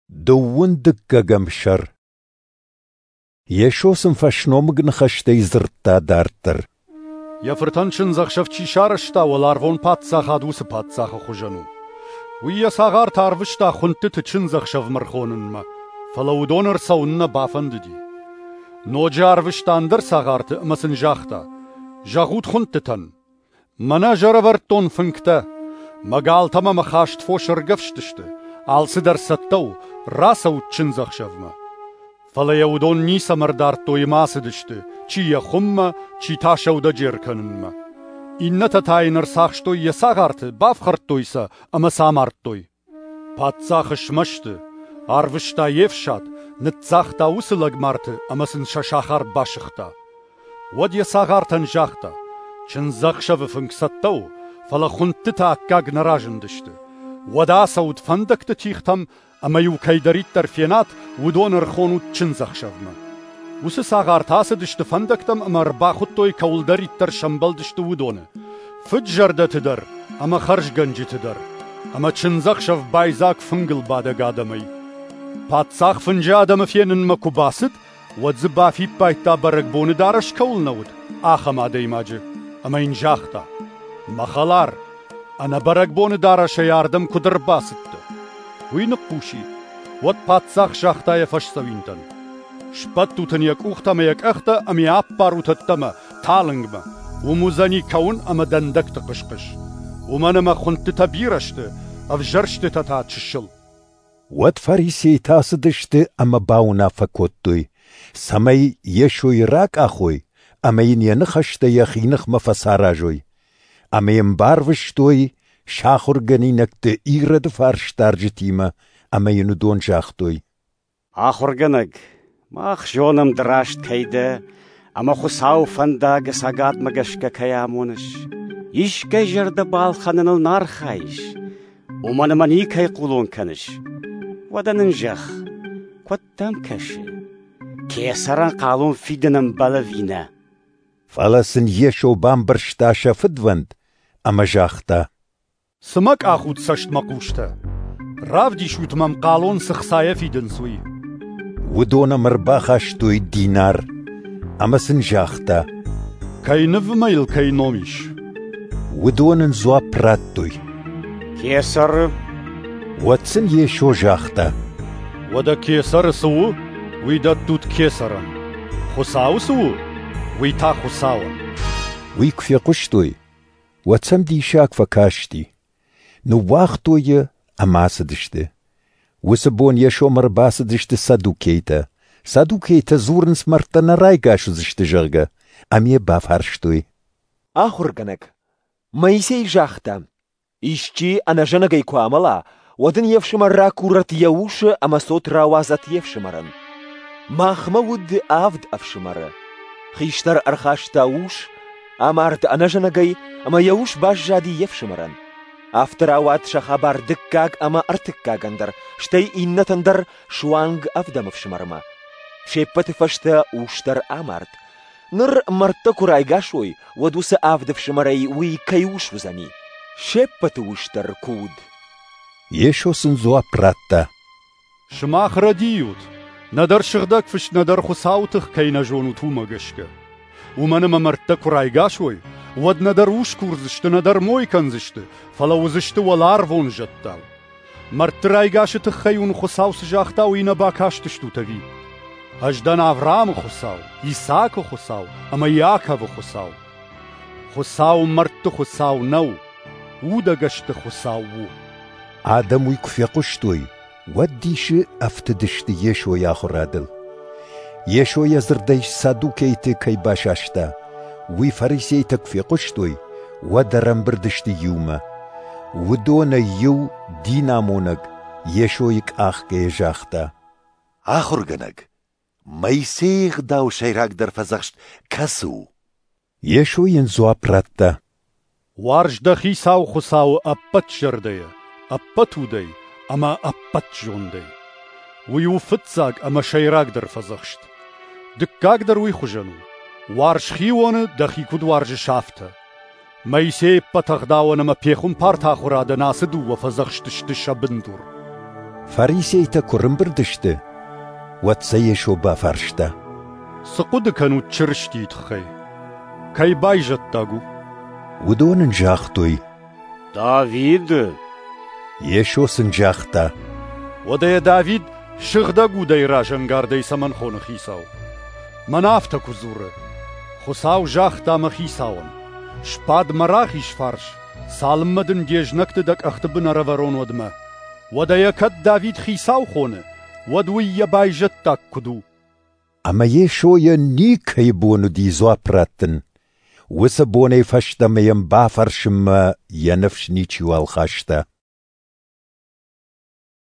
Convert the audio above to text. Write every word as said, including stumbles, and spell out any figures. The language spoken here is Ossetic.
Дыууын дыккӕгӕм сӕр. Йесо сын фӕсномыг ныхӕстӕй дзырдта дарддӕр. Йӕ фыртӕн чындзӕхсӕв чи сарӕзта, уӕларвон паддзахад уыцы паддзахы хуызӕн у. Уый йӕ цагъарты арвыста хуындтыты чындзӕхсӕвмӕ ӕрхонынмӕ, фӕлӕ уыдон ӕрцӕуын нӕ бафӕндыди. Ноджы арвыста ӕндӕр цагъарты ӕмӕ сын загъта: «Зӕгъут хуындтытӕн: мӕнӕ ӕз ӕрӕвӕрдтон фынгтӕ, мӕ галтӕ ӕмӕ мӕ хаст фос ӕргӕвст сты, алцыдӕр цӕттӕ у, рацӕут чындзӕхсӕвмӕ». Фӕлӕ йӕ уыдон ницӕмӕ ӕрдардтой ӕмӕ ацыдысты, чи йӕ хуыммӕ, чи та сӕудӕджер кӕнынмӕ. Иннӕтӕ та йын ӕрцахстой йӕ цагъарты, бафхӕрдтой сӕ ӕмӕ сӕ амардтой. Паддзах смӕсты, арвыста йе фсад, ныццагъта уыцы лӕгмарты ӕмӕ сын сӕ сахар басыгъта. Уӕд йӕ цагъартӕн загъта: «Чындзӕхсӕвы фынг цӕттӕ у, фӕлӕ хуындтытӕ аккаг нӕ разындысты. Уӕдӕ ацӕут фӕндӕгты тигътӕм ӕмӕ-иу кӕйдӕриддӕр фенат, уыдон ӕрхонут чындзӕхсӕвмӕ». Уыцы цагъартӕ ацыдысты фӕндӕгтӕм ӕмӕ ӕрбахуыдтой, кӕуылдӕриддӕр сӕмбӕлдысты, уыдоны – фыд-зӕрдӕты дӕр ӕмӕ хӕрзгӕнджыты дӕр. Ӕмӕ чындзӕхсӕв байдзаг фынгыл бадӕг адӕмӕй. Паддзах фынджы адӕмы фенынмӕ куы бацыд, уӕд дзы бафиппайдта, бӕрӕгбоны дарӕс кӕуыл нӕ уыд, ахӕм адӕймаджы, ӕмӕ йын загъта: «Мӕ хӕлар, ӕнӕ бӕрӕгбоны дарӕсӕй ардӕм куыд ӕрбацыдтӕ?» Уый ныхъхъус и. Уӕд паддзах загъта йӕ фӕсдзӕуинтӕн: «Сбӕттут ын йӕ къухтӕ ӕмӕ йӕ къӕхтӕ ӕмӕ йӕ аппарут ӕддӕмӕ, талынгмӕ. Уым уыдзӕни кӕуын ӕмӕ дӕндӕгты хъыс-хъыс. Уымӕн ӕмӕ хуындтытӕ бирӕ сты, ӕвзӕрстытӕ та чысыл». Уӕд фарисейтӕ ацыдысты ӕмӕ бауынаффӕ кодтой, цӕмӕй Йесойы ракъахой ӕмӕ йын йӕ ныхӕстӕ йӕхи ныхмӕ фӕцаразой. Ӕмӕ йӕм барвыстой сӕ ахуыргӕнинӕгты Ироды фарсдарджытимӕ, ӕмӕ йын уыдон загътой: «Ахуыргӕнӕг, мах зонӕм, ды раст кӕй дӕ ӕмӕ Хуыцауы фӕндаг ӕцӕгадмӕ гӕсгӕ кӕй амоныс. Искӕй зӕрдӕ балхӕныныл нӕ архайыс, уымӕн ӕмӕ никӕй хъулон кӕныс. Уӕдӕ нын зӕгъ, куыд дӕм кӕсы, кесӕрӕн хъалон фидын ӕмбӕлы ӕви нӕ?» Фӕлӕ сын Йесо бамбӕрста сӕ фыдвӕнд ӕмӕ загъта: «Цы мӕ къахут цӕстмӕхъустӕ? Равдисут мӕм, хъалон цы хцайӕ фидынц, уый». Уыдон ӕм ӕрбахастой динар, ӕмӕ сын загъта: «Кӕй ныв ӕмӕ йыл кӕй ном ис?» Уыдон ын дзуапп радтой: «Кесӕры». Уӕд сын Йесо загъта: «Уӕдӕ кесӕры цы у, уый дӕттут кесӕрӕн, Хуыцауы цы у, уый та Хуыцауӕн». Уый куы фехъуыстой, уӕд сӕм диссаг фӕкасти. Ныууагътой йӕ ӕмӕ ацыдысты. Уыцы бон Йесомӕ ӕрбацыдысты саддукейтӕ. Саддукейтӕ дзурынц, мӕрдтӕ нӕ райгас уыдзысты, зӕгъгӕ, ӕмӕ йӕ бафарстой: «Ахуыргӕнӕг, Моисей загъта: исчи ӕнӕзӕнӕгӕй куы амӕла, уӕд ын йе фсымӕр ракурӕд йӕ усы ӕмӕ цот рауадзӕд йе фсымӕрӕн. Махмӕ уыд авд ӕфсымӕры. Хистӕр ӕрхаста ус, амард ӕнӕзӕнӕгӕй, ӕмӕ йӕ ус баззади йе фсымӕрӕн. Афтӕ рауад сӕ хабар дыккаг ӕмӕ ӕртыккагӕн дӕр, стӕй иннӕтӕн дӕр суанг ӕвдӕм ӕфсымӕрмӕ. Се ппӕты фӕстӕ ус дӕр амард. Ныр мӕрдтӕ куы райгас уой, уӕд уыцы авд ӕфсымӕрӕй уый кӕй ус уыдзӕни? Се ппӕты ус дӕр куы уыд». Йесо сын дзуапп радта: «Сымах рӕдийут, нӕдӕр Сыгъдӕг Фыст, нӕдӕр Хуыцауы тых кӕй нӕ зонут, уымӕ гӕсгӕ. Уымӕн ӕмӕ мӕрдтӕ куы райгас уой, уӕд нӕдӕр ус курдзысты, нӕдӕр мой кӕндзысты, фӕлӕ уыдзысты уӕларвон зӕдтау. Мӕрдты райгасы тыххӕй уын Хуыцау цы загъта, уый нӕ бакастыстут ӕви? Ӕз дӕн Авраамы Хуыцау, Исаакы Хуыцау ӕмӕ Иаковы Хуыцау. Хуыцау мӕрдты Хуыцау нӕу, удӕгӕсты Хуыцау у». Адӕм уый куы фехъуыстой, уӕд дисы ӕфтыдысты Йесойы ахуырадыл. Йесо йӕ дзырдӕй саддукейты кӕй басаста, уый фарисейтӕ куы фехъуыстой, уӕд ӕрӕмбырд сты иумӕ. Уыдонӕй иу, динамонӕг, Йесойы къахгӕйӕ загъта: «Ахуыргӕнӕг, Моисейы ӕгъдауы сӕйрагдӕр фӕдзӕхст кӕцы у?» Йесо йын дзуапп радта: «Уарз дӕ Хицау Хуыцауы ӕппӕт зӕрдӕйӕ, ӕппӕт удӕй ӕмӕ ӕппӕт зондӕй. Уый у фыццаг ӕмӕ сӕйрагдӕр фӕдзӕхст. Дыккаг дӕр уый хуызӕн у: уарз хионы, дӕхи куыд уарзыс, афтӕ. Моисейы ӕппӕт ӕгъдауӕн ӕмӕ пехуымпарты ахуырадӕн ацы дыууӕ фӕдзӕхсты сты сӕ бындур». Фарисейтӕ куы рымбырд сты, уӕд сӕ Йесо бафарста: Цы хъуыды кӕнут Чырыстийы тыххӕй? Кӕй байзӕддаг у? Уыдон ын загътой: Давиды. Йесо сын загъта: Уӕдӕ йӕ Давид Сыгъдӕг Удӕй разӕнгардӕй цӕмӕн хоны Хицау? Мӕнӕ афтӕ куы дзуры: Хуыцау загъта мӕ Хицауӕн: «Сбад мӕ рахиз фарс, цалынмӕ дын де знӕгты дӕ къӕхты бын ӕрӕвӕрон, уӕдмӕ». Уӕдӕ йӕ кӕд Давид Хицау хоны, уӕд уый йӕ байзӕддаг куыд у? Ӕмӕ Йесойӕн никӕй бон уыди дзуапп раттын. Уыцы бонӕй фӕстӕмӕ йӕм бафӕрсынмӕ йӕ ныфс ничиуал хаста.